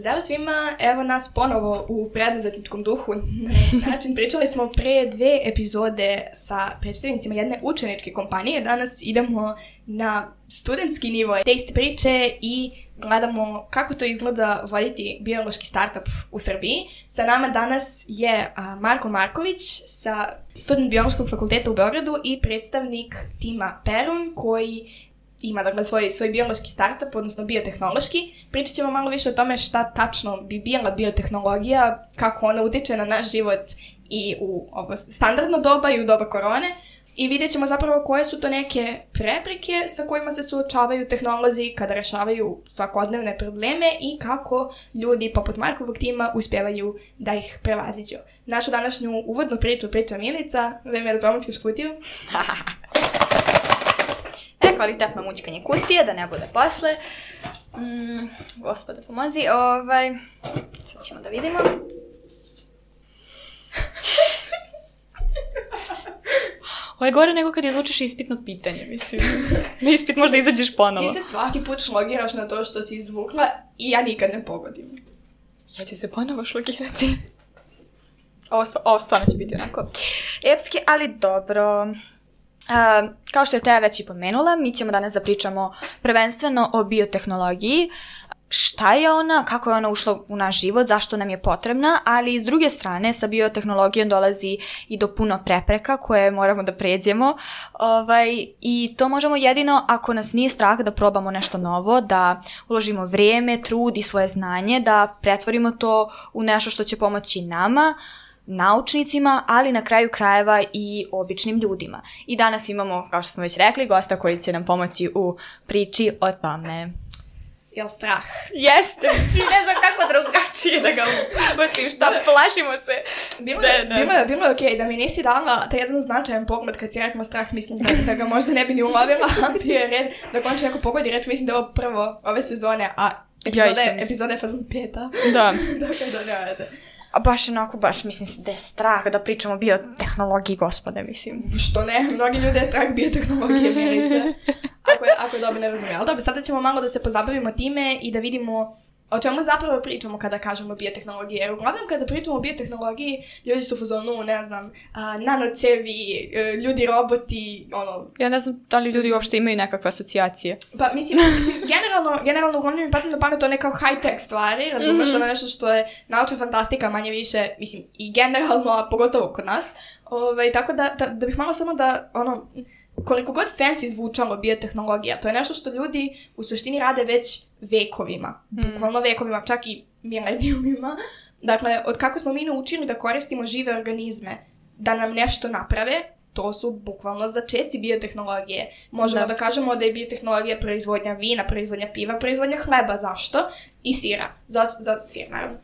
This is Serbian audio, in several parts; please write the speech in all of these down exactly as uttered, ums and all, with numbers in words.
Pozdrav svima, evo nas ponovo u preduzetničkom duhu. Na način pričali smo pre dve epizode sa predstavnicima jedne učeničke kompanije. Danas idemo na studentski nivo te iste priče i gledamo kako to izgleda voditi biološki startup u Srbiji. Sa nama danas je Marko Marković sa student biološkog fakulteta u Beogradu i predstavnik tima Perun koji ima dakle svoj, svoj biološki startup, odnosno biotehnološki. Pričat ćemo malo više o tome šta tačno bi bila biotehnologija, kako ona utiče na naš život i u ovo standardno doba i u doba korone. I vidjet ćemo zapravo koje su to neke prepreke sa kojima se suočavaju tehnolozi kada rešavaju svakodnevne probleme i kako ljudi poput Markovog tima uspevaju da ih prevaziđu. Našu današnju uvodnu priču priča Milica. Vreme je da pomoćiš kutiju. E, kvalitetno mućkanje kutije, da ne bude posle. Mm, gospode, pomozi. Ovaj, sad ćemo da vidimo. Ovo je gore nego kad izvučeš ispitno pitanje, mislim. Na ispit možda izađeš ponovo. Ti se svaki put šlogiraš na to što si izvukla i ja nikad ne pogodim. Ja ću se ponovo šlogirati. Ovo, ovo stvarno će biti onako epski, ali dobro. Uh, kao što je Teja već i pomenula, mi ćemo danas da pričamo prvenstveno o biotehnologiji, šta je ona, kako je ona ušla u naš život, zašto nam je potrebna, ali s druge strane sa biotehnologijom dolazi i do puno prepreka koje moramo da pređemo ovaj, i to možemo jedino ako nas nije strah da probamo nešto novo, da uložimo vrijeme, trud i svoje znanje, da pretvorimo to u nešto što će pomoći nama, naučnicima, ali na kraju krajeva i običnim ljudima. I danas imamo, kao što smo već rekli, gosta koji će nam pomoći u priči o tome. Jel strah? Jeste, mislim, ne znam kako drugačije da ga ubatim, šta, plašimo se. Bilo je, bilo je, bilo je okej, okay, da mi nisi dala taj jedan značajan pogled kad si rekla strah, mislim da, da ga možda ne bi ni ulovila, ali bio je red da konče neko pogodi reč, mislim da je ovo prvo ove sezone, a epizode, ja epizode je fazon peta. Da. Dakle, da, nema veze. A baš onako, baš mislim da je strah da pričamo o biotehnologiji, gospode, mislim. Što ne, mnogi ljudi je strah biotehnologije, Milice. Ako je, ako je dobro ne razumije. Ali dobro, sada ćemo malo da se pozabavimo time i da vidimo o čemu zapravo pričamo kada kažemo biotehnologije. Jer uglavnom kada pričamo o biotehnologiji, ljudi su u fazonu, ne znam, a, nanocevi, ljudi, roboti, ono... Ja ne znam da li ljudi uopšte imaju nekakve asocijacije. Pa mislim, mislim generalno, generalno uglavnom mi padne na pamet to nekao high-tech stvari, razumeš, mm-hmm. ono nešto što je naučna fantastika manje više, mislim, i generalno, a pogotovo kod nas. Ove, tako da, da, da bih malo samo da, ono... koliko god fancy zvučalo biotehnologija, to je nešto što ljudi u suštini rade već vekovima. Mm. Bukvalno vekovima, čak i milenijumima. Dakle, od kako smo mi naučili da koristimo žive organizme da nam nešto naprave, to su bukvalno začeci biotehnologije. Možemo da, da kažemo da je biotehnologija proizvodnja vina, proizvodnja piva, proizvodnja hleba. Zašto? I sira. Zato, za, sir, naravno.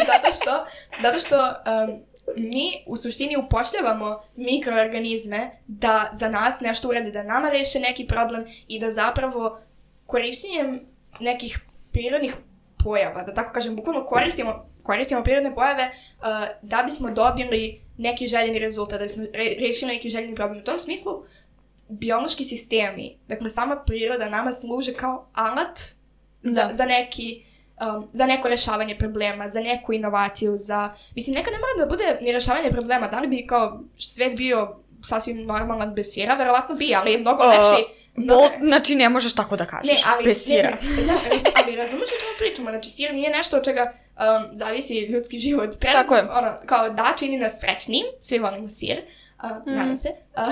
zato što, zato što um, mi u suštini upošljavamo mikroorganizme da za nas nešto urade, da nama reše neki problem i da zapravo korištenjem nekih prirodnih pojava, da tako kažem, bukvalno koristimo, koristimo prirodne pojave uh, da bismo dobili neki željeni rezultat, da bismo re- rešili neki željeni problem. U tom smislu, biološki sistemi, dakle sama priroda nama služe kao alat za, za neki... Um, za neko rešavanje problema, za neku inovaciju, za... Mislim, nekad ne mora da bude ni rešavanje problema, da li bi kao svet bio sasvim normalan bez sira, verovatno bi, ali je mnogo lepši. Uh, mnogo... Znači, ne možeš tako da kažeš, ne, ali, bez sira. Ne, ne, znam, ali razumiješ o čemu pričamo, znači sir nije nešto od čega um, zavisi ljudski život. Treba, tako je. Ono, kao da čini nas srećnim, svi volimo sir, uh, mm. nadam se, uh,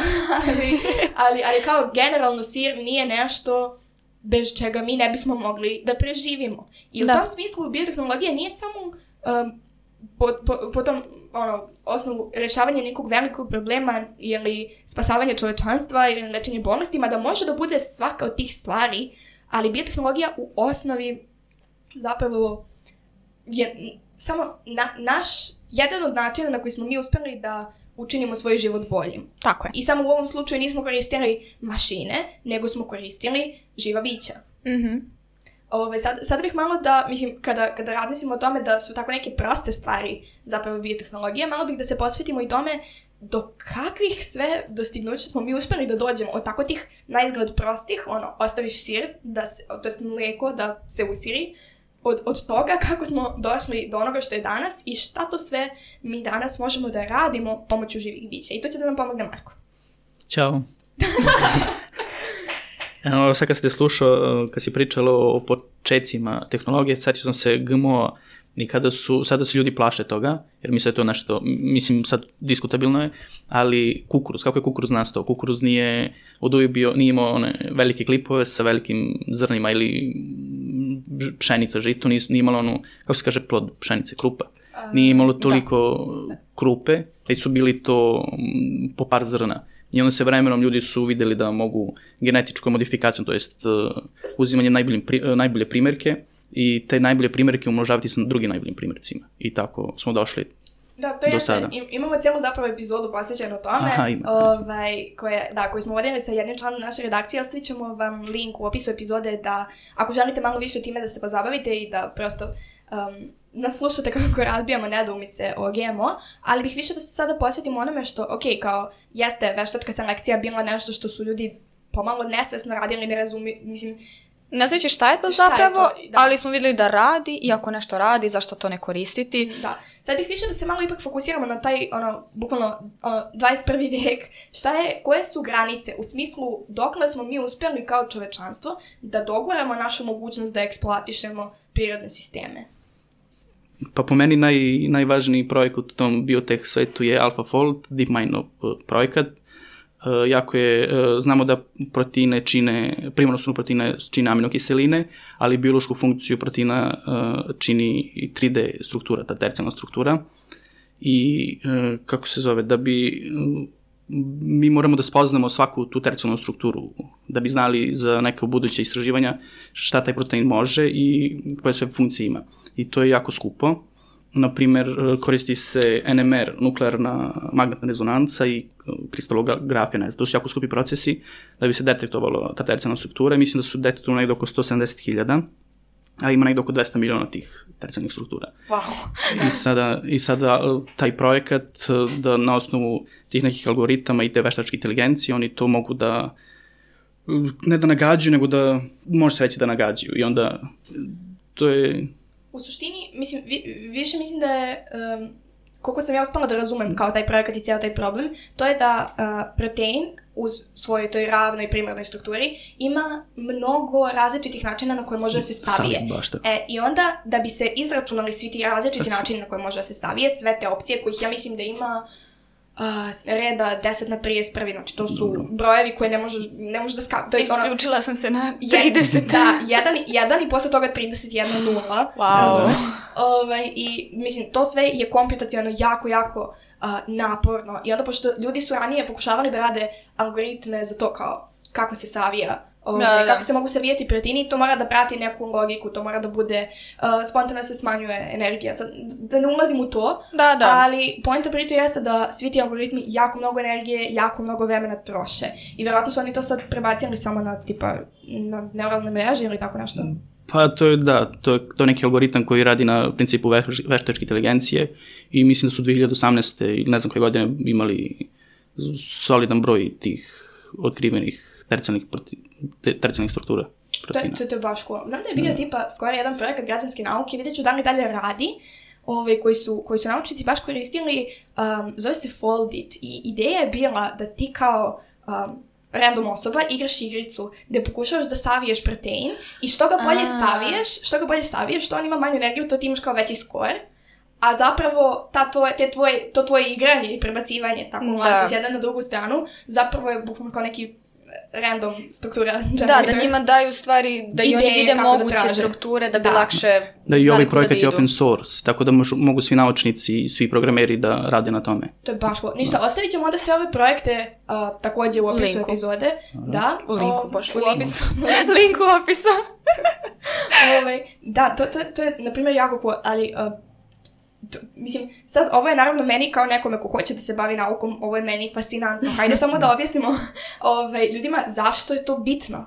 ali, ali, ali kao generalno sir nije nešto... bez čega mi ne bismo mogli da preživimo. I u da. tom smislu biotehnologija nije samo um, po, po, po tom ono, osnovu rešavanja nekog velikog problema ili spasavanja čovečanstva ili lečenje bolestima, da može da bude svaka od tih stvari, ali biotehnologija u osnovi zapravo je samo na, naš, jedan od načina na koji smo mi uspeli da učinimo svoj život boljim. Tako je. I samo u ovom slučaju nismo koristili mašine, nego smo koristili živa bića. Mhm. Ove, sad, sad bih malo da, mislim, kada, kada razmislimo o tome da su tako neke proste stvari zapravo biotehnologije, malo bih da se posvetimo i tome do kakvih sve dostignuća smo mi uspjeli da dođemo od tako tih naizgled prostih, ono, ostaviš sir, da se, to jest mlijeko da se usiri, od, od toga kako smo došli do onoga što je danas i šta to sve mi danas možemo da radimo pomoću živih bića. I to će da nam pomogne Marko. Ćao. Evo, sad kad ste slušao, kad si pričalo o počecima tehnologije, sad sam se G M O i kada su, sada se ljudi plaše toga, jer misle to nešto, mislim sad diskutabilno je, ali kukuruz, kako je kukuruz nastao? Kukuruz nije od uvijek bio, nije imao one velike klipove sa velikim zrnima ili pšenica, žito, nije, nije imalo onu, kako se kaže plod pšenice, krupa. Nije imalo toliko da. krupe, već su bili to po par zrna. I onda se vremenom ljudi su videli da mogu genetičkom modifikacijom, to jest uh, uzimanje najbolje, pri, uh, najbolje primjerke i te najbolje primjerke umnožavati sa drugim najboljim primjercima. I tako smo došli da, to do je, sada. Imamo cijelu zapravo epizodu posvećenu tome, Aha, ima, ovaj, koje, da, koju smo vodili sa jednim članom naše redakcije. Ostavit ćemo vam link u opisu epizode da ako želite malo više time da se pozabavite i da prosto um, nas slušate kako razbijamo nedoumice o G M O, ali bih više da se sada posvetimo onome što, ok, kao jeste veštačka selekcija bila nešto što su ljudi pomalo nesvesno radili, ne razumi, mislim, ne znači šta je to šta zapravo, je to, da. Ali smo vidjeli da radi i ako nešto radi, zašto to ne koristiti. Da, sad bih više da se malo ipak fokusiramo na taj, ono, bukvalno, ono, dvadeset prvi vijek, šta je, koje su granice, u smislu dokle smo mi uspjeli kao čovečanstvo da doguramo našu mogućnost da eksploatišemo prirodne sisteme. Pa po meni naj, najvažniji projekat u tom biotech svetu je AlphaFold, DeepMind projekat. Uh, jako je, uh, znamo da proteine čine, primarno su proteine čine aminokiseline, ali biološku funkciju proteina uh, čini tri D struktura, ta tercijalna struktura. I uh, kako se zove, da bi uh, mi moramo da spoznamo svaku tu tercijalnu strukturu, da bi znali za neka buduća istraživanja šta taj protein može i koje sve funkcije ima. I to je jako skupo. Naprimjer, koristi se N M R, nuklearna magnetna rezonanca i kristalografija, ne znam, to su jako skupi procesi da bi se detektovalo ta tercijalna struktura. Mislim da su detektovali negdje oko sto sedamdeset hiljada, a ima negdje oko dvesta miliona tih tercijalnih struktura. Wow. I sada, I sada taj projekat, da na osnovu tih nekih algoritama i te veštačke inteligencije, oni to mogu da, ne da nagađaju, nego da, može se reći da nagađaju. I onda, to je... U suštini, mislim, vi, više mislim da je, um, koliko sam ja uspela da razumem kao taj projekat i cijel taj problem, to je da uh, protein uz svojoj toj ravnoj primarnoj strukturi ima mnogo različitih načina na koje može da se savije. E, I onda, da bi se izračunali svi ti različiti načini na koje može da se savije, sve te opcije kojih ja mislim da ima Uh, reda deset na trideset jedan, znači to su Dobro. brojevi koje ne možeš, ne možeš da ska... To je Isključila ono, sam se na trideset. Da, jedan, jedan i posle toga trideset jedan nula. Wow. Ovaj, I mislim, to sve je komputacionalno jako, jako uh, naporno. I onda, pošto ljudi su ranije pokušavali da rade algoritme za to kao kako se savija, Ove, da, da. kako se mogu savijeti proteini, to mora da prati neku logiku, to mora da bude, uh, spontano se smanjuje energija. Sad, da ne ulazim u to, da, da. ali poenta priče jeste da svi ti algoritmi jako mnogo energije, jako mnogo vremena troše. I vjerojatno su oni to sad prebacili samo na, tipa, na neuralne mreže ili tako nešto. Pa to je, da, to je, to je neki algoritam koji radi na principu veštačke inteligencije i mislim da su dve hiljade osamnaeste ili ne znam koje godine imali solidan broj tih otkrivenih tercijalnih, tercijalnih struktura proteina. To, to, to je baš cool. Znam da je bio da. tipa skoro jedan projekat građanske nauke, vidjet ću da li dalje radi, ove, koji, su, koji su naučnici baš koristili, um, zove se Foldit i ideja je bila da ti kao um, random osoba igraš igricu gde pokušavaš da saviješ protein i što ga bolje A. saviješ, što ga bolje saviješ, što on ima manju energiju, to ti imaš kao veći skor. A zapravo ta tvoje, te tvoje, to tvoje igranje i prebacivanje tako mlaci s jedne na drugu stranu zapravo je bukvalno kao neki random struktura. Da, da njima daju stvari, da i oni vide moguće da strukture, da bi da. lakše da i ovaj projekat je open source, tako da možu, mogu svi naučnici i svi programeri da rade na tome. To je baš cool. Ništa, ostavit ćemo onda sve ove projekte uh, također u opisu linku. epizode. Aha. Da. U linku, bože, u, u opisu. Link u opisu. Ove, da, to, to, to je, na primjer, jako cool, ali... Uh, To, mislim, sad ovo je naravno meni kao nekome ko hoće da se bavi naukom, ovo je meni fascinantno. Hajde samo da objasnimo ove, ljudima zašto je to bitno.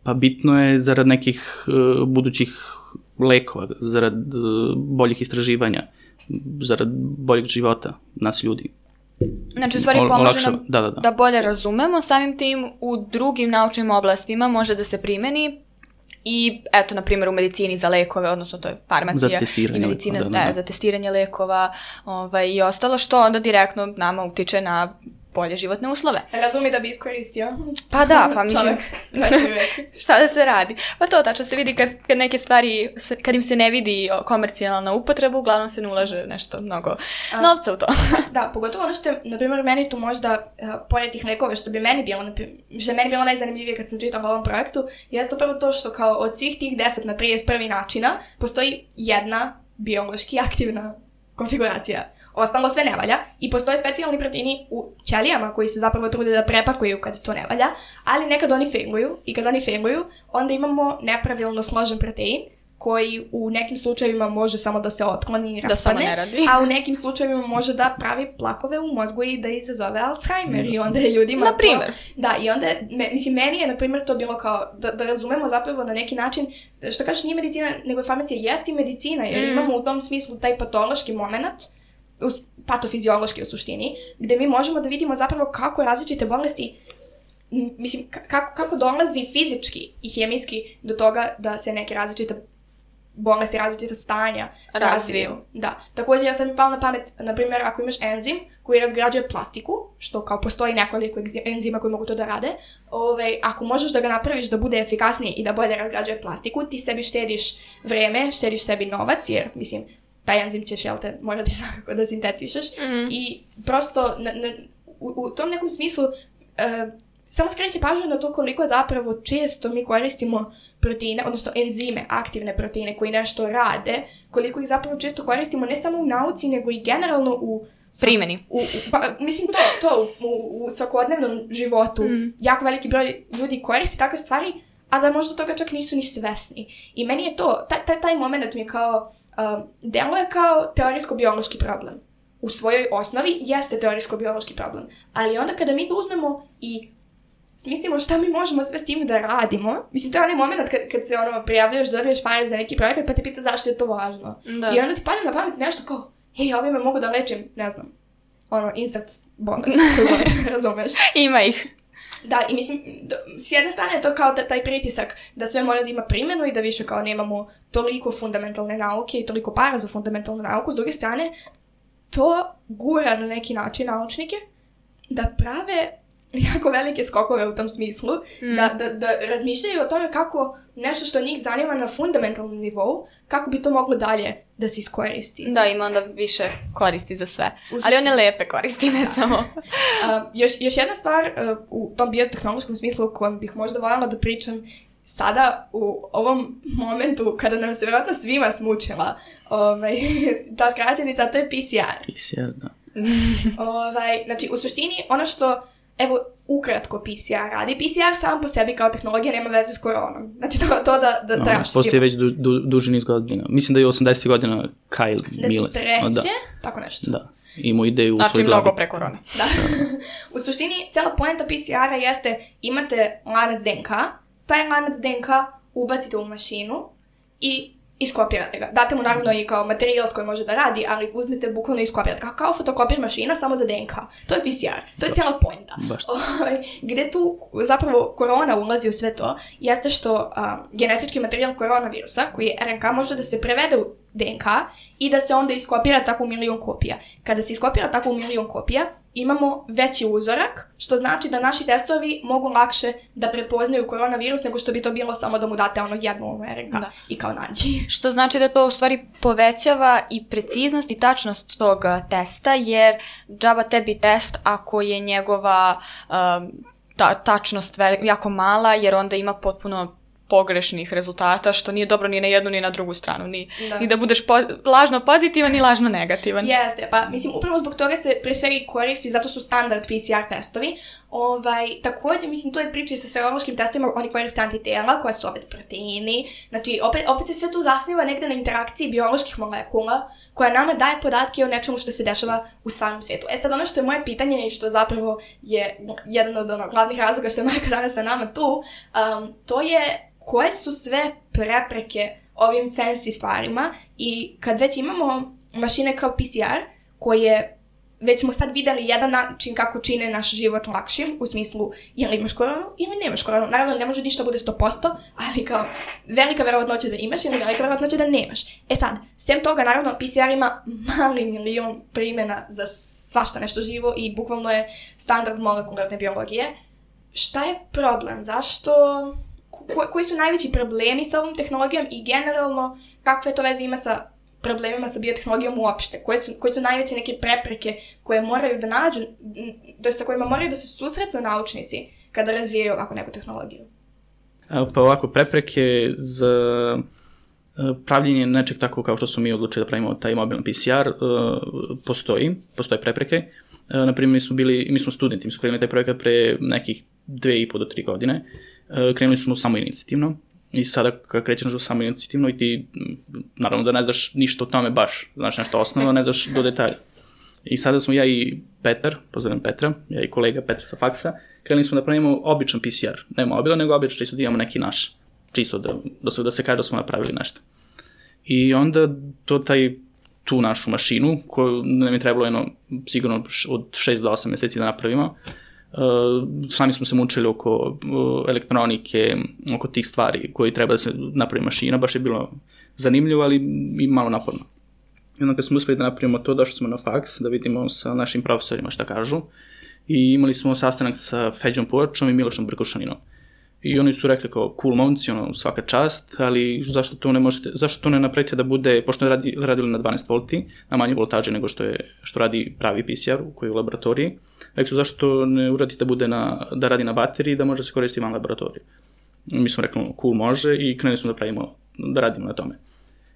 Pa bitno je zarad nekih uh, budućih lekova, zarad uh, boljih istraživanja, zarad boljeg života nas ljudi. Znači, u stvari pomože nam da, da, da. da bolje razumemo, samim tim u drugim naučnim oblastima može da se primeni I eto, na primjer, u medicini za lekove, odnosno to je farmacija za testiranje i medicina, lekova, da, da, da. Ne, za testiranje lekova ovaj, i ostalo, što onda direktno nama utiče na bolje životne uslove. Razumi da bi iskoristio. Pa da, pa mislim, Čovjek, dvadeset vek. šta da se radi? Pa to tačno se vidi kad, kad neke stvari, kad im se ne vidi komercijalna upotreba, uglavnom se ne ulaže nešto mnogo A, novca u to. Da, pogotovo ono što je, na primjer, meni tu možda, uh, pored tih lekova, što bi meni bilo, naprim- što je meni bilo najzanimljivije kad sam čitala o ovom projektu, jeste upravo to što kao od svih tih deset na trideset prvi načina postoji jedna biološki aktivna konfiguracija. Ostalo sve ne valja i postoje specijalni proteini u ćelijama koji se zapravo trude da prepakuju kad to ne valja, ali nekad oni failuju i kad oni failuju, onda imamo nepravilno složen protein koji u nekim slučajevima može samo da se otkloni i Da samo raspadne, ne radi. a u nekim slučajevima može da pravi plakove u mozgu i da izazove Alzheimer i onda je ljudima Na primjer. to... Da, i onda, je, me, mislim, meni je, na primjer, to bilo kao da, da razumemo zapravo na neki način, što kažeš nije medicina, nego je farmacija, jest i medicina, jer Mm. imamo u tom smislu taj patološki moment, us- patofiziološki u suštini, gde mi možemo da vidimo zapravo kako različite bolesti, m, mislim, ka- kako, kako dolazi fizički i hemijski do toga da se neke različite bolesti, različita stanja Razviju. Da. Također, ja sam mi pala na pamet, na primjer, ako imaš enzim koji razgrađuje plastiku, što kao postoji nekoliko egzi- enzima koji mogu to da rade, ovaj, ako možeš da ga napraviš da bude efikasniji i da bolje razgrađuje plastiku, ti sebi štediš vreme, štediš sebi novac, jer, mislim, taj enzim ćeš, jel te, morati svakako da sintetišeš. Mhm. I prosto, na, na, u, u tom nekom smislu, uh, samo skreće pažnju na to koliko zapravo često mi koristimo proteine, odnosno enzime, aktivne proteine koji nešto rade, koliko ih zapravo često koristimo ne samo u nauci, nego i generalno u Primjeni. U, u, pa, mislim to, to u, u, u svakodnevnom životu. Mm. Jako veliki broj ljudi koristi takve stvari, a da možda toga čak nisu ni svesni. I meni je to, taj, taj, taj moment mi je kao, um, deluje kao teorijsko-biološki problem. U svojoj osnovi jeste teorijsko-biološki problem. Ali onda kada mi to uzmemo i smislimo šta mi možemo sve s tim da radimo, mislim, to je onaj moment kad, kad se ono prijavljaš da dobiješ pare za neki projekat pa te pita zašto je to važno. Da. I onda ti padne na pamet nešto kao, hej, ovime mogu da lečim, ne znam, ono, insekt bolest, koju god, razumeš. Ima ih. Da, i mislim, d- s jedne strane je to kao ta- taj pritisak da sve mora da ima primjenu i da više kao nemamo toliko fundamentalne nauke i toliko para za fundamentalnu nauku, s druge strane, to gura na neki način naučnike da prave jako velike skokove u tom smislu, Mm. da, da, da razmišljaju o tome kako nešto što njih zanima na fundamentalnom nivou, kako bi to moglo dalje da se iskoristi. Da, ima onda više koristi za sve. U Ali one suštini- lepe koristi, ne samo. Uh, još, još jedna stvar uh, u tom biotehnološkom smislu o kojem bih možda voljela da pričam sada u ovom momentu kada nam se vjerojatno svima smučila ovaj, ta skraćenica, a to je P C R. P C R, da. Ovaj, znači, u suštini, ono što, evo, ukratko P C R radi, P C R sam po sebi kao tehnologija nema veze s koronom. Znači, to, to da, da, da No, raščistimo. postoji već du, du, duži niz godina. Mislim da je osamdesetih godina Kyle Milles. osamdeset treće Da, tako nešto. da. Imao ideju u Znači, svoj glavi. mnogo pre korone. Da. U suštini, cijela poenta P C R-a jeste, imate lanac D N K, taj lanac D N K ubacite u mašinu i iskopirate ga. Date mu naravno i kao materijal s kojim može da radi, ali uzmete bukvalno i iskopirate. Kao, kao fotokopir mašina, samo za D N K. To je P C R. To je cijela poenta. Baš. Ovaj, gde tu zapravo korona ulazi u sve to, jeste što a, genetički materijal koronavirusa, koji je R N K, može da se prevede u D N K i da se onda iskopira tako u milion kopija. Kada se iskopira tako u milion kopija, imamo veći uzorak, što znači da naši testovi mogu lakše da prepoznaju koronavirus nego što bi to bilo samo da mu date ono jednu R N K Da. i kao nađi. Što znači da to u stvari povećava i preciznost i tačnost tog uh, testa, jer džaba tebi test ako je njegova um, ta, tačnost veli- jako mala, jer onda ima potpuno pogrešnih rezultata, što nije dobro ni na jednu ni na drugu stranu. Ni Da. ni da budeš po- lažno pozitivan ni lažno negativan. Jeste, pa mislim upravo zbog toga se pre svega i koristi, zato su standard P C R testovi. Ovaj, također, mislim, to je priča i sa serološkim testovima, oni koriste antitela, koja su opet proteini, znači opet, opet se sve tu zasniva negde na interakciji bioloških molekula, koja nama daje podatke o nečemu što se dešava u stvarnom svijetu. E sad, ono što je moje pitanje i što zapravo je jedan od ono, glavnih razloga što je Majka danas sa nama tu, um, to je koje su sve prepreke ovim fancy stvarima i kad već imamo mašine kao P C R koje već smo sad videli jedan način kako čine naš život lakšim, u smislu ili imaš koronu ili nemaš koronu. Naravno, ne može ništa bude sto posto, ali kao velika verovatnoća da imaš ili velika verovatnoća da nemaš. E sad, sem toga, naravno, P C R ima mali milion primjena za svašta nešto živo i bukvalno je standard molekularne biologije. Šta je problem? Zašto... Ko, koji su najveći problemi sa ovom tehnologijom i generalno kakve to veze ima sa problemima sa biotehnologijom uopšte? Koje su, koje su najveće neke prepreke koje moraju da nađu, da sa kojima moraju da se susretnu naučnici kada razvijaju ovako neku tehnologiju? Pa ovako, prepreke za pravljenje nečeg tako kao što smo mi odlučili da pravimo taj mobilni P C R postoji, postoje prepreke. Naprimjer, mi smo bili, mi smo studenti, mi smo krenuli taj projekat pre nekih dve i po do tri godine. Krenuli smo samo inicijativno i sada kad krećeš samo inicijativno i ti, naravno da ne znaš ništa o tome baš, znaš nešto osnovno, ne znaš do detalja. I sada smo ja i Petar, pozdravljam Petra, ja i kolega Petra sa faksa, krenuli smo da pravimo običan P C R, ne mobilan, nego običan, čisto da imamo neki naš, čisto da, da, se, da se kaže da smo napravili nešto. I onda to taj, tu našu mašinu, koju nam je trebalo jedno, sigurno od šest do osam meseci da napravimo, Uh, sami smo se mučili oko uh, elektronike, oko tih stvari koje treba da se napravi mašina, baš je bilo zanimljivo, ali i malo naporno. I onda kad smo uspeli da napravimo to, došli smo na faks da vidimo sa našim profesorima šta kažu i imali smo sastanak sa Feđom Povačom i Milošom Brkušaninom. I oni su rekli kao cool momci, ono, svaka čast, ali zašto to ne možete, zašto to ne napravite da bude, pošto radi, radili na dvanaest volti, na manje voltaže nego što je, što radi pravi P C R koji je u laboratoriji. Rekli su zašto to ne uradite da bude na, da radi na bateriji, da može se koristiti van laboratoriju. Mi smo rekli, cool, može i krenuli smo da pravimo, da radimo na tome.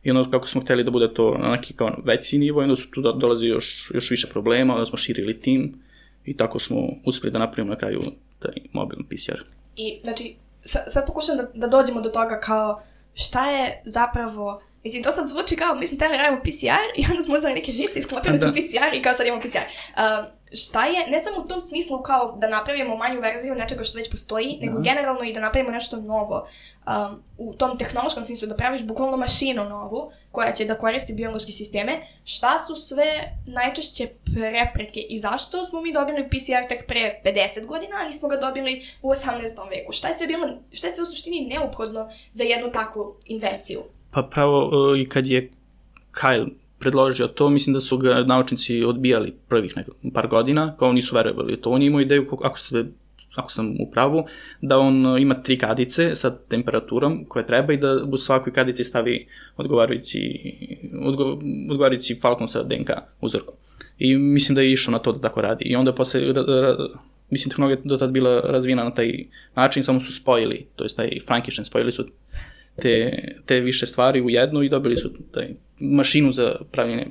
I ono kako smo hteli da bude to na neki kao veći nivo, onda su tu dolazi još, još više problema, onda smo širili tim i tako smo uspeli da napravimo na kraju taj mobilni P C R. I, znači, sad pokušam da, da dođemo do toga kao šta je zapravo, mislim, to sad zvuči kao mi smo teli radimo P C R i onda smo uzeli neke žice, isklopili smo P C R i kao sad imamo P C R. Uh, šta je, ne samo u tom smislu kao da napravimo manju verziju nečega što već postoji, nego da. Generalno i da napravimo nešto novo. Um, u tom tehnološkom smislu da praviš bukvalno mašinu novu koja će da koristi biološke sisteme. Šta su sve najčešće prepreke i zašto smo mi dobili P C R tek pre pedeset godina, a nismo ga dobili u osamnaestom veku? Šta je sve bilo, šta je sve u suštini neophodno za jednu takvu invenciju? Pa pravo i kad je Kyle predložio to, mislim da su ga naučnici odbijali prvih nekog par godina, kao nisu verovali to. On je imao ideju, ako, se, ako sam u pravu, da on ima tri kadice sa temperaturom koje treba i da u svakoj kadici stavi odgovarajući, odgo, odgovarajući Falcon sa D N K uzorkom. I mislim da je išao na to da tako radi. I onda posle, mislim, tehnologija do tada bila razvijena na taj način, samo su spojili, to je taj Frankenstein, spojili su Te, te više stvari u jednu i dobili su taj mašinu za pravljenje,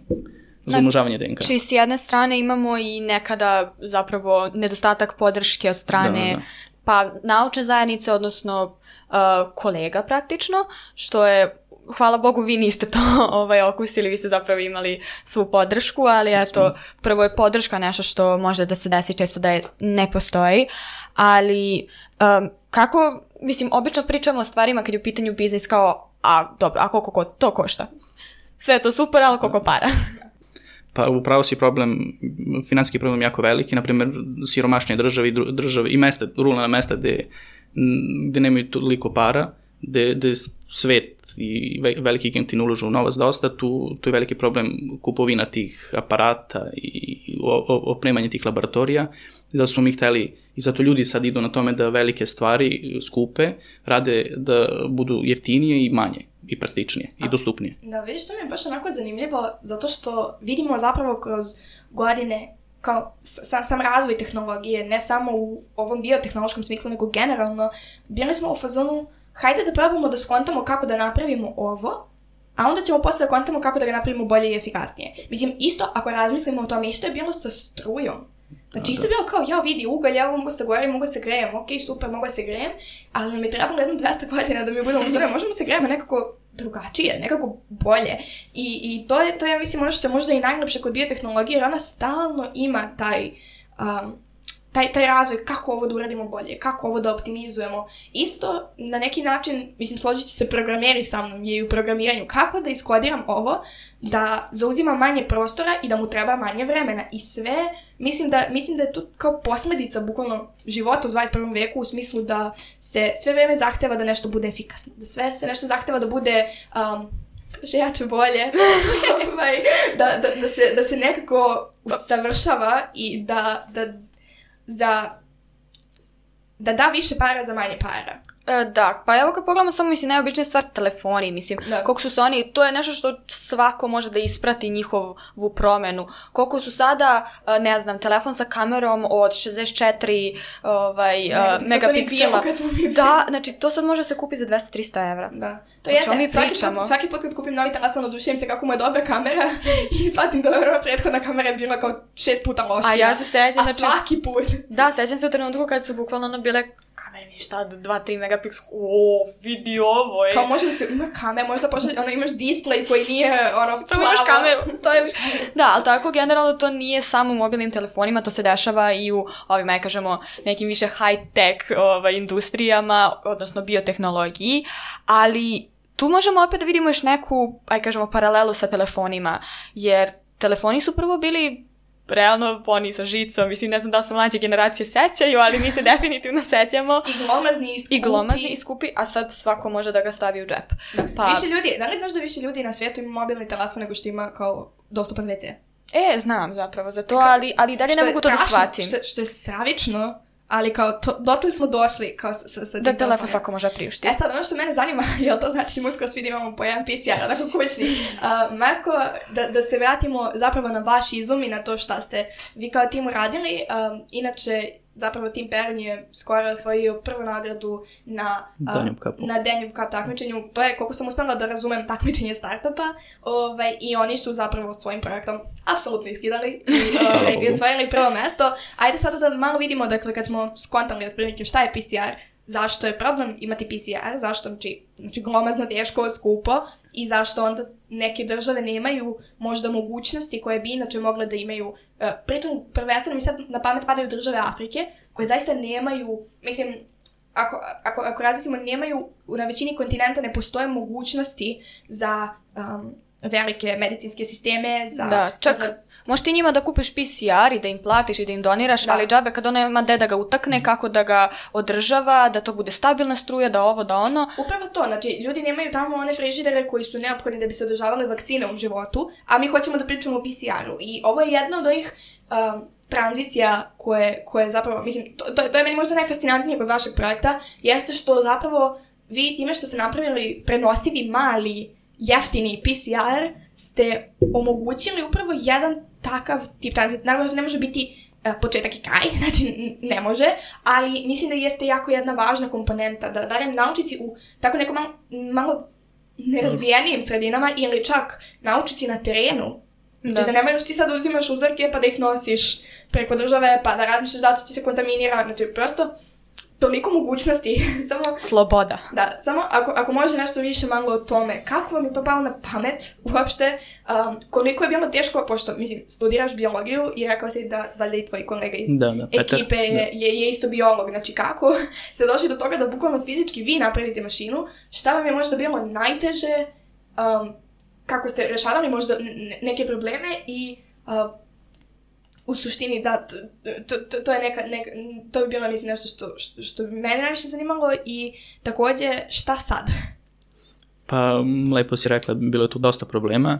za umnožavanje D N K. Znači, s jedne strane imamo i nekada zapravo nedostatak podrške od strane da, da. pa naučne zajednice, odnosno uh, kolega praktično, što je, hvala Bogu, vi niste to ovaj, okusili, vi ste zapravo imali svu podršku, ali eto, prvo je podrška nešto što može da se desi često da je ne postoji, ali um, kako, mislim, obično pričamo o stvarima kad je u pitanju biznis kao, a dobro, a koliko ko, to košta? Sve je to super, ali koliko para? Pa upravo si problem, financijski problem jako veliki, na primjer siromašnije države i, države, i mesta, ruralna mesta gde, gde nemaju toliko para, gde, gde svet i veliki giganti ne ulažu u novac dosta, tu, tu je veliki problem kupovina tih aparata i opremanje tih laboratorija, da smo mi hteli, i zato ljudi sad idu na tome da velike stvari skupe, rade da budu jeftinije i manje, i praktičnije, i dostupnije. Da, vidiš, to mi je baš onako zanimljivo, zato što vidimo zapravo kroz godine kao sam, sam razvoj tehnologije, ne samo u ovom biotehnološkom smislu, nego generalno, bili smo u fazonu, hajde da probamo da skontamo kako da napravimo ovo, a onda ćemo posle da kontamo kako da ga napravimo bolje i efikasnije. Mislim, isto, ako razmislimo o tome, isto je bilo sa strujom. Znači, isto je bilo kao, ja vidi ugalj, ja mogu se govorim, mogu se grejem, ok, super, mogu se grejem, ali nam je trebalo jedno dvesta godina da mi budemo uzore, možemo se grejemo nekako drugačije, nekako bolje. I, i to je, to je, mislim, ono što je možda i najlepše kod biotehnologije, jer ona stalno ima taj, um, taj, taj razvoj, kako ovo da uradimo bolje, kako ovo da optimizujemo. Isto, na neki način, mislim, složit će se programeri sa mnom, je i u programiranju, kako da iskodiram ovo, da zauzima manje prostora i da mu treba manje vremena. I sve, mislim da, mislim da je to kao posledica bukvalno života u dvadeset prvom veku, u smislu da se sve vreme zahteva da nešto bude efikasno, da sve se nešto zahteva da bude... Um, že jače bolje, da, da, da, se, da se nekako usavršava i da, da, za, da da više para za manje para. E, da, pa evo kad pogledamo samo, mislim, najobičnija stvar telefoni, mislim, da. Koliko su se oni, to je nešto što svako može da isprati njihovu promenu. Koliko su sada, ne znam, telefon sa kamerom od šezdeset četiri ovaj, ne, uh, megapiksela. Da, znači to sad može se kupi za dvesta do trista evra. Da. To je znači, svaki, put, svaki put kad kupim novi telefon, odušujem se kako mu je dobra kamera i shvatim da je prethodna kamera je bila kao šest puta lošija. A ja se sećam, A znači, svaki put. Da, sećam se u trenutku kad su bukvalno ono bile kamere, mi šta, do dva do tri megapiksela, o, vidi ovo je. Kao može da se ima kamera, možda pošli, ono, imaš display koji nije, ono, plavo. Imaš kameru, to je... Da, ali tako, generalno, to nije samo u mobilnim telefonima, to se dešava i u, ovim, aj kažemo, nekim više high-tech ovaj, industrijama, odnosno biotehnologiji, ali tu možemo opet da vidimo još neku, aj kažemo, paralelu sa telefonima, jer telefoni su prvo bili realno oni sa žicom, mislim, ne znam da se mlađe generacije sećaju, ali mi se definitivno sećamo. I glomazni i skupi. I glomazni i skupi, a sad svako može da ga stavi u džep. Da. Pa... Više ljudi, da li znaš da više ljudi na svijetu ima mobilni telefon nego što ima kao dostupan ve ce? E, znam zapravo za to, ali, ali dalje ne mogu to da shvatim. Što, što je stravično, ali kao, to, dotle smo došli kao sa, sa, sa da telefon svako može priuštiti. E sad, ono što mene zanima, jel to znači uskoro svi da imamo po jedan pe ce er, onako kućni. Uh, Marko, da, da se vratimo zapravo na vaš izum i na to šta ste vi kao tim uradili. Um, inače, zapravo Tim Perrin je skoro osvojio prvu nagradu na Danube Cupu. Na Danube Cup takmičenju. To je, koliko sam uspela da razumem, takmičenje startupa. Ovaj, I oni su zapravo svojim projektom apsolutno iskidali i, ovaj, i osvojili prvo mesto. Ajde sada da malo vidimo, dakle, kad smo skontali otprilike šta je pe ce er, zašto je problem imati pe ce er, zašto, znači, znači glomazno, teško, skupo i zašto onda neke države nemaju možda mogućnosti koje bi inače mogle da imaju. Uh, pritom, prvenstveno mi sad na pamet padaju države Afrike koje zaista nemaju, mislim, ako, ako, ako razmislimo, nemaju, na većini kontinenta ne postoje mogućnosti za um, velike medicinske sisteme, za... Da, čak... Da, možeš ti njima da kupiš pe ce er i da im platiš i da im doniraš, da. Ali džabe kad ona ima gde da ga utakne, kako da ga održava, da to bude stabilna struja, da ovo, da ono. Upravo to, znači ljudi nemaju tamo one frižidere koji su neophodni da bi se održavale vakcine u životu, a mi hoćemo da pričamo o pe ce eru. I ovo je jedna od onih um, tranzicija koje, koje zapravo, mislim, to, to, to je meni možda najfascinantnije kod vašeg projekta, jeste što zapravo vi time što ste napravili prenosivi mali jeftini pe ce er ste omogućili upravo jedan takav tip tranzicije. Naravno, to ne može biti uh, početak i kraj, znači ne može, ali mislim da jeste jako jedna važna komponenta, da barem naučici u tako nekom malo, malo nerazvijenijim sredinama ili čak naučici na terenu, da, znači, da ne moraš ti sad uzimaš uzorke pa da ih nosiš preko države, pa da razmišljaš da ti se kontaminira, znači prosto toliko mogućnosti, samo... Sloboda. Da, samo ako, ako može nešto više malo o tome, kako vam je to palo na pamet uopšte, um, koliko je bilo teško, pošto, mislim, studiraš biologiju i rekao si da, da li tvoj kolega iz da, da, ekipe je, da. je, je isto biolog, znači kako ste došli do toga da bukvalno fizički vi napravite mašinu, šta vam je možda bilo najteže, um, kako ste rešavali možda neke probleme i... Uh, u suštini, da, to, to, to je neka, neka, to bi bilo, mislim, nešto što, što, što bi mene najviše zanimalo i također, šta sad? Pa, lepo si rekla, bilo je tu dosta problema.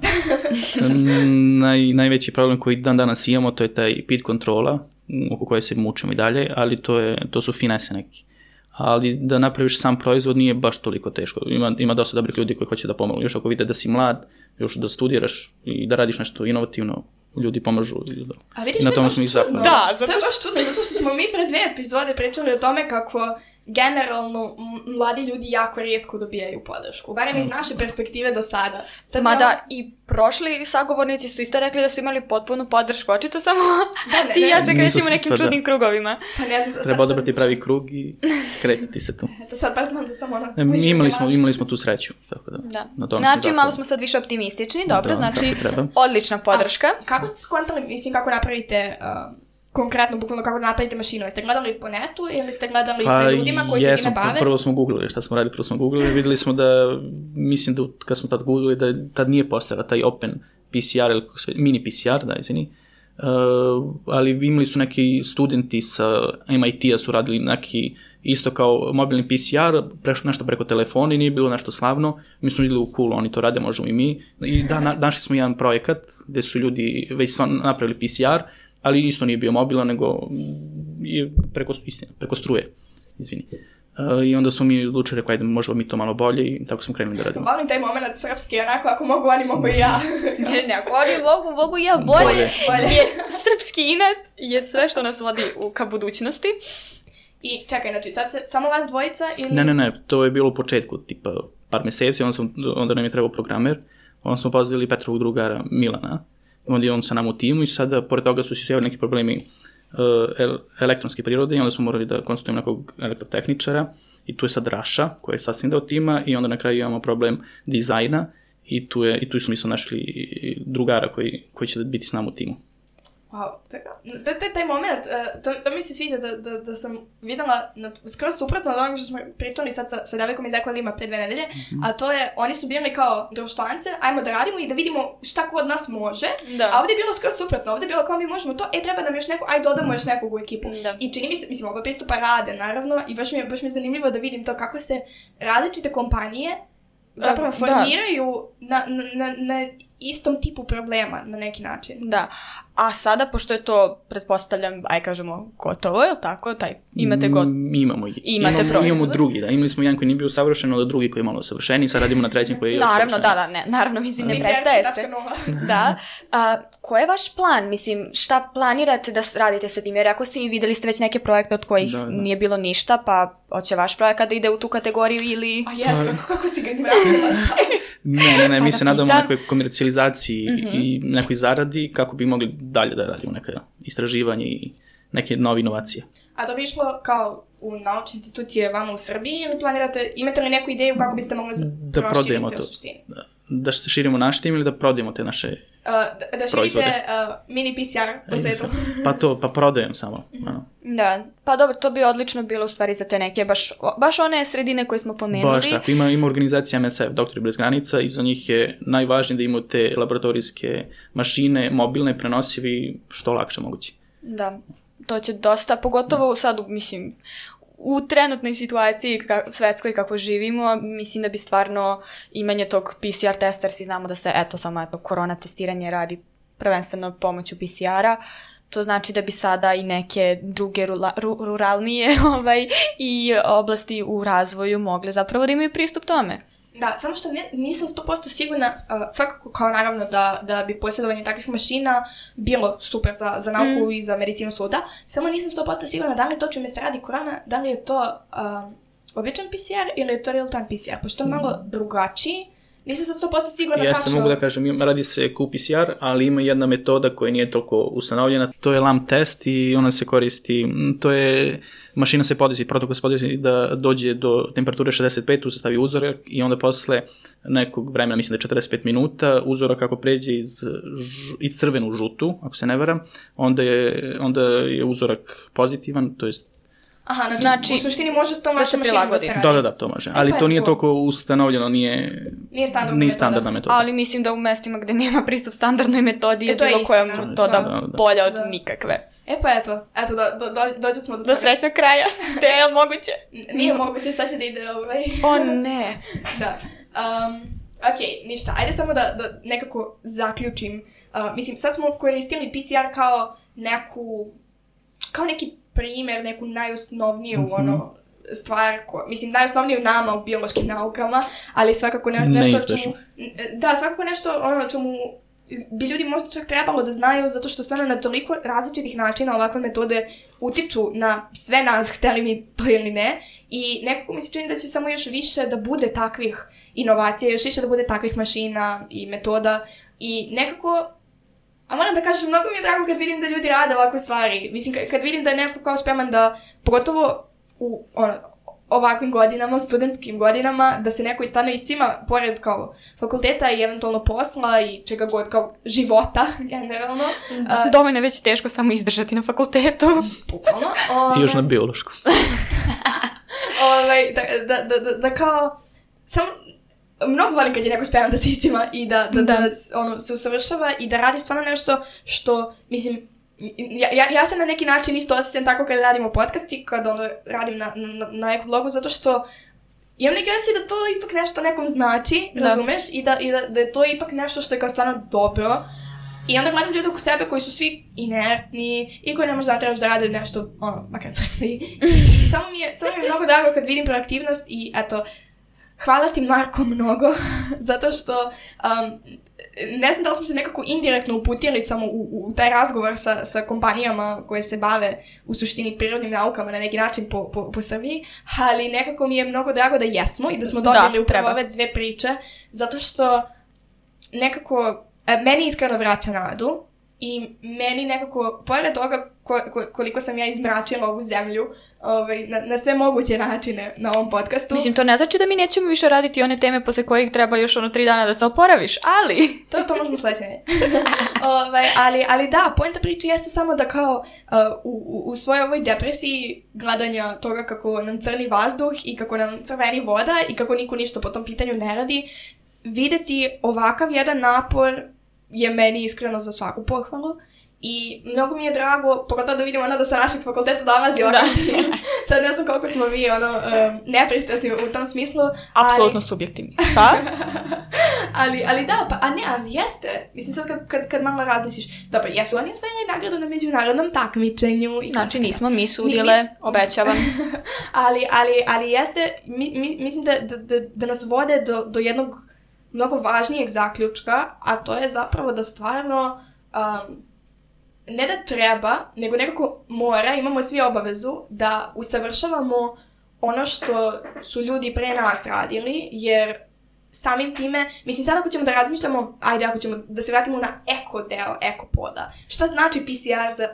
Naj, najveći problem koji dan danas imamo, to je taj P I D kontrola, oko koje se mučimo i dalje, ali to, je, to su finese neki. Ali da napraviš sam proizvod nije baš toliko teško. Ima, ima dosta dobrih ljudi koji hoće da pomogu. Još ako vide da si mlad, još da studiraš i da radiš nešto inovativno, ljudi pomažu. A vidiš, to je baš čudno. Da, zato... To je baš čudno, zato što smo mi pre dve epizode pričali o tome kako generalno mladi ljudi jako rijetko dobijaju podršku. Barem iz naše perspektive do sada. Sad Mada imamo... i prošli sagovornici su isto rekli da su imali potpunu podršku. Očito samo da, ne, ti i ja se krećemo u nekim čudnim da. krugovima. Pa ne znam, treba odabrati pravi krug i kretiti se tu. Eto sad baš znam da sam ona... Ne, mi imali, smo, imali smo tu sreću. Tako da, da. Na tom znači malo smo sad više optimistični. Dobro, da, znači odlična podrška. A kako ste skontali, mislim, kako napravite... Um, konkretno, bukvalno kako da napravite mašinu? Jeste gledali po netu ili ste gledali pa, sa ljudima koji se time bave? Prvo smo googlili šta smo radili, prvo smo googlili, videli smo da, mislim da kad smo tad googlili, da tad nije postojala taj open P C R, ili mini P C R, da, izvini, uh, ali imali su neki studenti sa M I T-a su radili neki isto kao mobilni P C R, prešlo nešto preko telefona i nije bilo nešto slavno. Mi smo vidjeli u cool, oni to rade, možemo i mi. I da, na, našli smo jedan projekat gde su ljudi već napravili P C R, ali isto nije bio mobilan, nego je preko, istina, preko struje, izvini. Uh, I onda smo mi odlučili, rekao, ajde, možemo mi to malo bolje i tako smo krenuli da radimo. Volim taj moment srpski, onako, ako mogu oni, mogu i ja. Ne, ne, ako oni mogu, mogu i ja bolje. Bolje. Bolje. Jer srpski inat je sve što nas vodi u, ka budućnosti. I čekaj, znači, sad se samo vas dvojica ili... Ne, ne, ne, to je bilo u početku, tipa par meseci, onda, sam, onda nam je trebao programer, onda smo pozvali Petrovog drugara Milana, onda je on sa nama u timu i sada, pored toga su se javili neki problemi uh, elektronske prirode i onda smo morali da konsultujemo nekog elektrotehničara i tu je sad Raša, koja je sastavni deo tima i onda na kraju imamo problem dizajna i tu, je, i tu smo isto našli drugara koji, koji će biti s nama u timu. Wow, to je taj moment, uh, to, to mi se sviđa da, da, da sam videla na, skroz suprotno od onoga što smo pričali sad sa, sa devojkom iz Ekolima pre dve nedelje, mm-hmm. a to je, oni su bili kao društvance, ajmo da radimo i da vidimo šta ko od nas može, da. A ovdje je bilo skroz suprotno, ovdje je bilo kao mi možemo to, e treba nam još neko, aj dodamo još nekog u ekipu. Da. I čini mi se, mislim, oba pristupa rade, naravno, i baš mi, je, baš mi je zanimljivo da vidim to kako se različite kompanije zapravo formiraju na, na, na, na istom tipu problema na neki način. Da, a sada, pošto je to, pretpostavljam, aj kažemo, gotovo, je li tako? Taj, imate go... Mi imamo, imate imamo, imamo drugi, da. Imali smo jedan koji nije bio savršen, ali drugi koji je malo savršeniji, sad radimo na trećem koji je još naravno, savršeniji. Da, da, ne, naravno, mislim, ne prestaje se. Da. A, ko je vaš plan? Mislim, šta planirate da radite sa tim? Jer ako si videli ste već neke projekte od kojih da, da. nije bilo ništa, pa hoće vaš projekat da ide u tu kategoriju ili... A jes, kako, kako si ga izmračila sad? Ne, ne, ne, mi se nadamo nekoj komercijalizaciji mm-hmm. i nekoj zaradi kako bi mogli dalje da radimo neka istraživanje i neke nove inovacije. A to bi išlo kao u naučne institucije vama u Srbiji ili planirate, imate li neku ideju kako biste mogli da proširiti u suštini? Da, da se širimo naš tim ili da prodajemo te naše uh, da, da širite uh, mini P C R po svetu? Pa to, pa prodajem samo. Mm-hmm. Da, pa dobro, to bi odlično bilo u stvari za te neke, baš, baš one sredine koje smo pomenuli. Baš tako, ima, ima organizacija M S F, Doktori bez granica, i za njih je najvažnije da imaju te laboratorijske mašine, mobilne, prenosivi, što lakše moguće. Da, to će dosta, pogotovo sad, mislim, u trenutnoj situaciji ka, svetskoj kako živimo, mislim da bi stvarno imanje tog P C R testa, jer svi znamo da se, eto, samo eto, korona testiranje radi prvenstveno pomoću P C R-a, to znači da bi sada i neke druge rula, ru, ruralnije ovaj, i oblasti u razvoju mogle zapravo da imaju pristup tome. Da, samo što ne, nisam sto posto sigurna, uh, svakako kao naravno da, da bi posjedovanje takvih mašina bilo super za, za nauku mm. i za medicinu suda, samo nisam sto posto sigurna da li to čime se radi korona, da li je to uh, običan P C R ili je to real time P C R, pošto je mm. malo drugačiji. Nisam sad sto posto sigurna Jeste, tačno. mogu da kažem, radi se Q P C R, ali ima jedna metoda koja nije toliko ustanovljena, to je L A M test i ona se koristi, to je, mašina se podesi, protokol se podesi da dođe do temperature šezdeset pet, tu se stavi uzorak i onda posle nekog vremena, mislim da je četrdeset pet minuta, uzorak kako pređe iz, iz crvenu u žutu, ako se ne varam, onda je, onda je uzorak pozitivan, to jest Aha, znači, znači, u suštini može s tom vašom mašinom da se radi. Da, da, da, to može. Ali to nije toliko ustanovljeno, nije, nije standardna, nije metoda. standardna metoda. Ali mislim da u mestima gde nema pristup standardnoj metodi je, je bilo koja metoda da, da, da. bolja od da. nikakve. E pa eto, eto, do, do, do, dođe smo do toga. Do srećnog kraja. Te je moguće? Nije moguće, sad će da ide ovaj. O ne. Da. Um, ok, ništa. Ajde samo da, da nekako zaključim. Uh, mislim, sad smo koristili P C R kao neku, kao neki primjer, neku najosnovniju mm-hmm. ono, stvar, ko, mislim, najosnovniju nama u biološkim naukama, ali svakako ne, nešto čemu, da, svakako nešto ono čemu bi ljudi možda čak trebalo da znaju, zato što stvarno na toliko različitih načina ovakve metode utiču na sve nas, hteli mi to ili ne, i nekako mi se čini da će samo još više da bude takvih inovacija, još više da bude takvih mašina i metoda, i nekako, a moram da kažem, mnogo mi je drago kad vidim da ljudi rade ovakve stvari. Mislim, kad, kad vidim da je neko kao spreman da, pogotovo u ono, ovakvim godinama, studentskim godinama, da se neko stvarno iscima, pored kao fakulteta i eventualno posla i čega god, kao života, generalno. Uh, Dovoljno je već teško samo izdržati na fakultetu. Bukvalno. I još na biološku. ovaj, da, da, da, da, da kao, samo, mnogo volim kad je neko spreman da se iscima i da, da, da. da ono, se usavršava i da radi stvarno nešto što, mislim, Ja, ja, ja sam na neki način isto osjećam tako kad radimo podcast i kad ono radim na, na, na ekoblogu, zato što imam neki osjećaj da to ipak nešto nekom znači, da. razumeš, i, da, i da, da je to ipak nešto što je kao stvarno dobro. I onda gledam ljudi oko sebe koji su svi inertni i koji ne možda trebaš da rade nešto, ono, makar crkli. I, i samo, mi je, samo mi je mnogo drago kad vidim proaktivnost i eto, hvala ti Marko mnogo, zato što um, ne znam da li smo se nekako indirektno uputili samo u, u taj razgovor sa, sa kompanijama koje se bave u suštini prirodnim naukama na neki način po, po, po Srbiji, ali nekako mi je mnogo drago da jesmo i da smo dobili da, upravo ove dve priče, zato što nekako meni iskreno vraća nadu i meni nekako, pored toga ko, ko, koliko sam ja izmračila ovu zemlju ovaj, na, na sve moguće načine na ovom podcastu. Mislim, to ne znači da mi nećemo više raditi one teme posle kojih treba još ono tri dana da se oporaviš, ali... To, to možemo sledeće. ovaj, ali, ali da, poenta priče jeste samo da kao uh, u, u svojoj ovoj depresiji gledanja toga kako nam crni vazduh i kako nam crveni voda i kako niko ništa po tom pitanju ne radi, videti ovakav jedan napor je meni iskreno za svaku pohvalu i mnogo mi je drago, pogotovo da vidimo ono da sa našeg fakulteta dolazi ovakav tim. Sad ne znam koliko smo mi ono, um, nepristrasni u tom smislu. Apsolutno ali... subjektivni. Pa? ali, ali da, pa, a ne, ali jeste. Mislim sad kad, kad, kad malo razmisliš, dobro, jesu oni osvojili nagradu na međunarodnom takmičenju. I znači nismo mi sudile, mi, mi... obećavam. ali, ali, ali jeste, mi, mi, mislim da, da, da, da nas vode do, do jednog mnogo važnijeg zaključka, a to je zapravo da stvarno um, ne da treba, nego nekako mora, imamo svi obavezu da usavršavamo ono što su ljudi pre nas radili, jer samim time, mislim sad ako ćemo da razmišljamo, ajde ako ćemo da se vratimo na eko deo ekopoda, šta znači P C R za,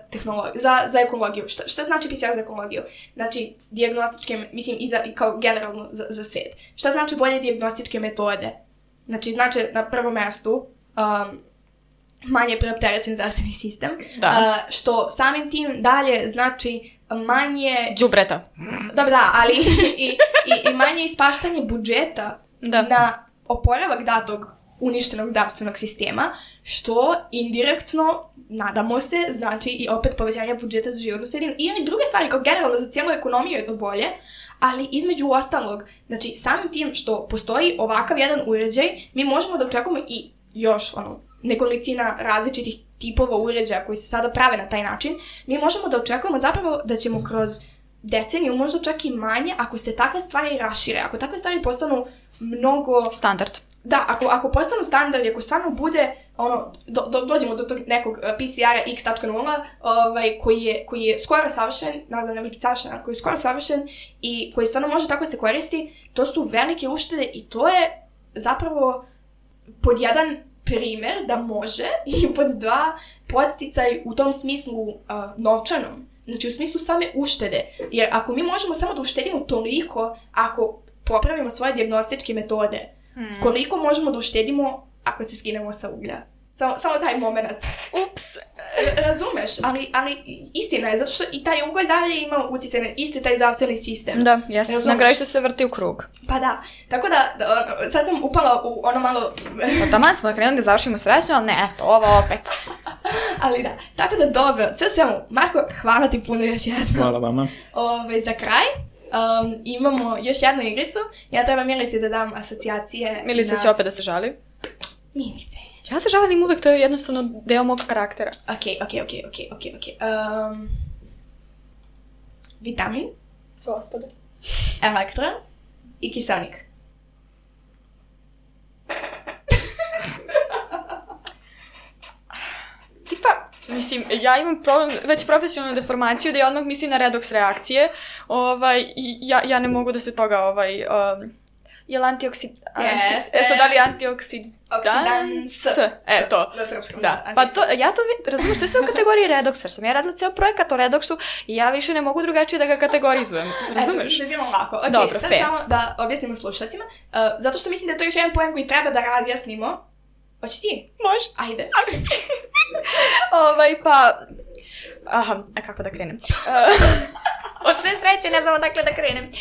za, za ekologiju, šta, šta znači P C R za ekologiju? Znači, dijagnostičke, mislim i, za, i kao generalno za, za svijet. Šta znači bolje dijagnostičke metode? Znači, znači na prvom mjestu um, manje preopterećen zdravstveni sistem, da. Uh, što samim tim dalje znači manje... Đubreta. Dobro, da, ali i, i, i manje ispaštanje budžeta da. Na oporavak datog uništenog zdravstvenog sistema, što indirektno, nadamo se, znači i opet povećanje budžeta za životnu sredinu i oni druge stvari, kao generalno za cijelu ekonomiju je to bolje, ali između ostalog, znači samim tim što postoji ovakav jedan uređaj, mi možemo da očekujemo i još ono, nekolicina različitih tipova uređaja koji se sada prave na taj način, mi možemo da očekujemo zapravo da ćemo kroz deceniju, možda čak i manje, ako se takve stvari rašire, ako takve stvari postanu mnogo... Standard. Da, ako, ako postanu standard, ako stvarno bude, ono, do, do, dođemo do tog nekog P C R-a X nula, ovaj, koji, je, koji je skoro savršen, naravno ne biti savršen, koji je skoro savršen i koji stvarno može tako se koristi, to su velike uštede i to je zapravo pod jedan primer da može i pod dva podsticaj u tom smislu uh, novčanom. Znači u smislu same uštede. Jer ako mi možemo samo da uštedimo toliko ako popravimo svoje dijagnostičke metode, hmm. koliko možemo da uštedimo ako se skinemo sa uglja? Samo, samo taj moment. Ups. Razumeš, ali, ali istina je, zato što i taj ugalj dalje ima utjecaj na isti taj zdravstveni sistem. Da, jeste. Na kraju se vrti u krug. Pa da. Tako da, da sad sam upala u ono malo... Pa taman smo da krenuli da završimo srećno, ali ne, eto, ovo opet. Ali da, tako da dobro, sve svemu, Marko, hvala ti puno još jednom. Hvala vama. Ove, za kraj, um, imamo još jednu igricu. Ja treba Milici da dam asocijacije. Milica na... će opet da se žali. Milice. Ja se žalim uvek, to je jednostavno deo mog karaktera. Ok, ok, ok, ok, ok, ok. Um, vitamin. Gospode. Elektron i kiselnik. Tipa, mislim, ja imam problem, već profesionalnu deformaciju da ja odmah mislim na redoks reakcije. Ovaj, i ja, ja ne mogu da se toga, ovaj... Um, je li antioksid... Jeste. E, sad da li antioksidans? Oksidans. E, to. Na srpskom, Da. da. Pa to, ja to vi- razumiješ, to je sve u kategoriji redoksa, jer sam ja radila ceo projekat o redoksu i ja više ne mogu drugačije da ga kategorizujem. Razumeš? Eto, da je bilo lako. Ok, Dobro, sad fair. samo da objasnimo slušacima. Uh, zato što mislim da je to još jedan pojem koji treba da razjasnimo. Hoćeš ti? Može. Ajde. Ovaj, pa... Aha, a kako da krenem? Od sve sreće ne znam odakle da krenem.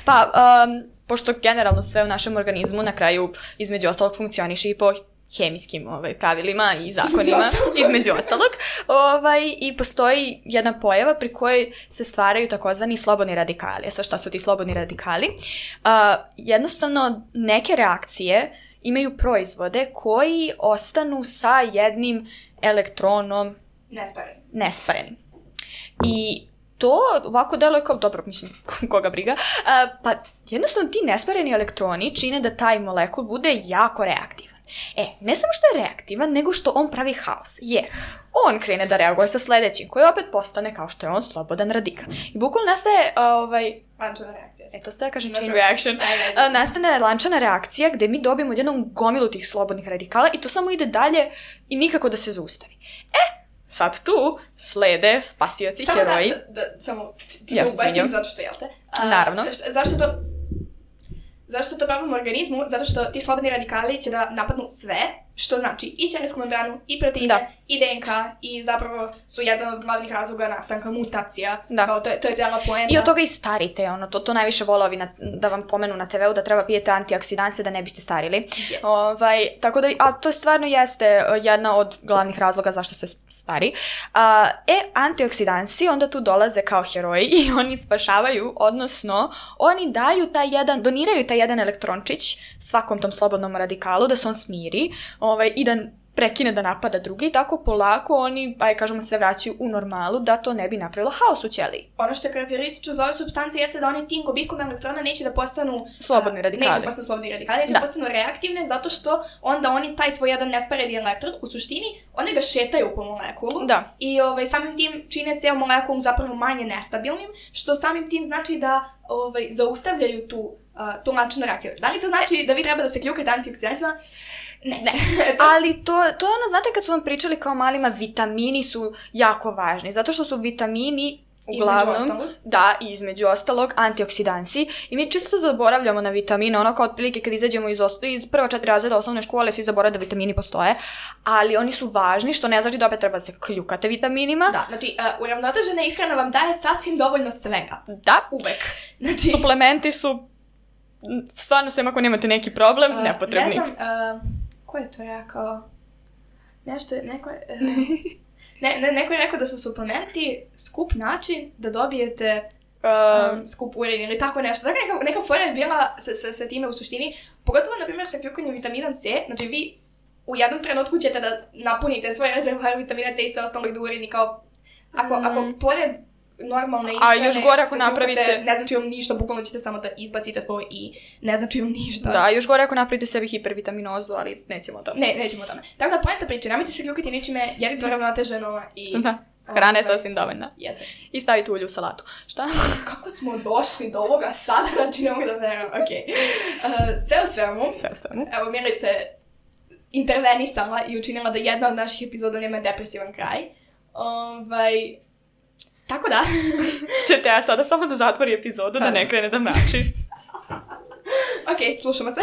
Pa, um, pošto generalno sve u našem organizmu na kraju između ostalog funkcioniše i po hemijskim ovaj, pravilima i zakonima, između ostalog, ovaj, i postoji jedna pojava pri kojoj se stvaraju takozvani slobodni radikali. Sa šta su ti slobodni radikali? Uh, jednostavno, neke reakcije imaju proizvode koji ostanu sa jednim elektronom Nespareni. nesparenim. I to ovako deluje kao, dobro, mislim, koga briga, a, pa jednostavno ti nespareni elektroni čine da taj molekul bude jako reaktivan. E, ne samo što je reaktivan, nego što on pravi haos, jer on krene da reaguje sa sledećim, koji opet postane kao što je on slobodan radikal. I bukvalno nastaje, a, ovaj, Lančana reakcija. e, to ste da kažem Na chain srpskom. reaction, Ajde, ajde. a, nastane lančana reakcija gde mi dobijemo jednom gomilu tih slobodnih radikala i to samo ide dalje i nikako da se zaustavi. E, sad tu slede spasioci, Samo heroji. da, da, da, samo ti Ja se se ubacim izvinjam. zato što, jel te? A, Naravno. š- Zašto to... Zašto to pravimo u organizmu? Zato što ti slobodni radikali će da napadnu sve, što znači i ćelijsku membranu, i proteine, Da. i D N K, i zapravo su jedan od glavnih razloga nastanka mutacija. Da. Kao to, je- to je cijela poenta. I od toga i starite, ono, to, to najviše vole ovi na, da vam pomenu na te veu da treba pijete antioksidanse da ne biste starili. Yes. Ovaj, tako da, a to stvarno jeste uh, jedna od glavnih razloga zašto se stari. A, e, antioksidansi onda tu dolaze kao heroji i oni spašavaju, odnosno oni daju taj jedan, doniraju taj jedan elektrončić svakom tom slobodnom radikalu da se on smiri ovaj, i da prekine da napada drugi i tako polako oni, aj kažemo, sve vraćaju u normalu da to ne bi napravilo haos u ćeliji. Ono što je karakteristično za ove substancije jeste da oni tim gubitkom elektrona neće da postanu Slobodni a, radikali. Neće da postanu slobodni radikali, neće Da. da postanu reaktivne zato što onda oni taj svoj jedan nespareni elektron u suštini oni ga šetaju po molekulu Da. i ovaj, samim tim čine ceo molekul zapravo manje nestabilnim, što samim tim znači da ovaj, zaustavljaju tu Uh, tu lančanu reakciju. Da li to znači da vi treba da se kljukate antioksidancima? Ne. ne. to... Ali to, to je ono, znate kad su vam pričali kao malima, vitamini su jako važni, zato što su vitamini uglavnom, Između ostalog. da, između ostalog, antioksidansi i mi čisto zaboravljamo na vitamine, ono kao otprilike kad izađemo iz, os- iz prva četiri razreda osnovne škole, svi zaboravljaju da vitamini postoje, ali oni su važni, što ne znači da opet treba da se kljukate vitaminima. Da, znači, uh, uravnotežena ishrana vam daje sasvim dovoljno svega. Da, Uvek. Znači, suplementi su, stvarno sem ako nemate neki problem, Uh, nepotrebni. Ne znam, uh, ko je to rekao? Nešto je, neko je... Uh, ne, ne, neko je rekao da su suplementi skup način da dobijete Um, um, skup urin ili tako nešto. Tako neka, neka fora je bila sa, sa, sa time u suštini, pogotovo, na primjer, sa kljukanjem vitaminom C, znači vi u jednom trenutku ćete da napunite svoj rezervoar vitamina C i sve ostalo i da urini kao... Ako, Mm. ako pored normalne A ishrane još gore ako se kljukate, napravite- ne znači vam ništa, bukvalno ćete samo da izbacite to i ne znači vam ništa. da, još gore ako napravite sebi hipervitaminozu, ali nećemo o tome. Ne, nećemo o tome. Tako da poenta priče, nemojte se kljukati ničime jer je to ravnoteženo i... Da, hrana je Ovaj, sasvim dovoljna. Jeste. I stavite ulje u salatu. Šta? Kako smo došli do ovoga sada, znači ne mogu da verujem, okej. Uh, sve u svemu, Sve u svemu. evo Milica je intervenisala i učinila da jedna od naših epizoda nema depresivan kraj. Ovaj... Tako da. Ćete ja sada samo da zatvori epizodu, da ne krene da mrači. Okej, slušamo se.